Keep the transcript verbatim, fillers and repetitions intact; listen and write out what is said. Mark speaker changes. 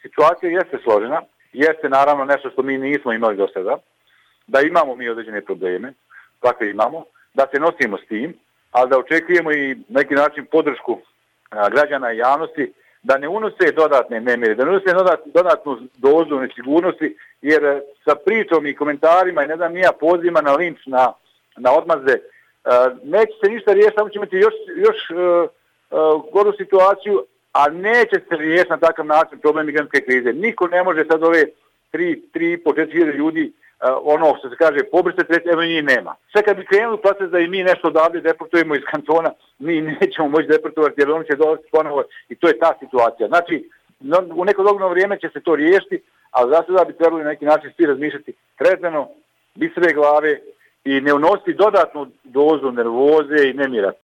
Speaker 1: situacija jeste složena, jeste naravno nešto što mi nismo imali do sada, da imamo mi određene probleme, kakve imamo, da se nosimo s tim, ali da očekujemo i neki način podršku a, građana i javnosti, da ne unose dodatne nemire, da ne unose dodat, dodatnu dozu nesigurnosti, jer sa pričom i komentarima i ne znam nija pozivima na linč, na, na odmazde, a, neće se ništa riješiti, samo ćemo imati još, još a, a, goru situaciju, a neće se riješiti na takav način problem migrantske krize. Niko ne može sad ove tri, tri, po četiri hiljade ljudi, uh, ono što se kaže, pobrisati, reći, evo njih nema. Sve kad bi krenuli proces da i mi nešto odavde deportujemo iz kantona, mi nećemo moći deportovati jer oni će dolaziti ponovo i to je ta situacija. Znači, no, u neko dogledno vrijeme će se to riješiti, ali za sada bi trebali na neki način svi razmišljati trezveno, bistre glave i ne unositi dodatnu dozu nervoze i nemira.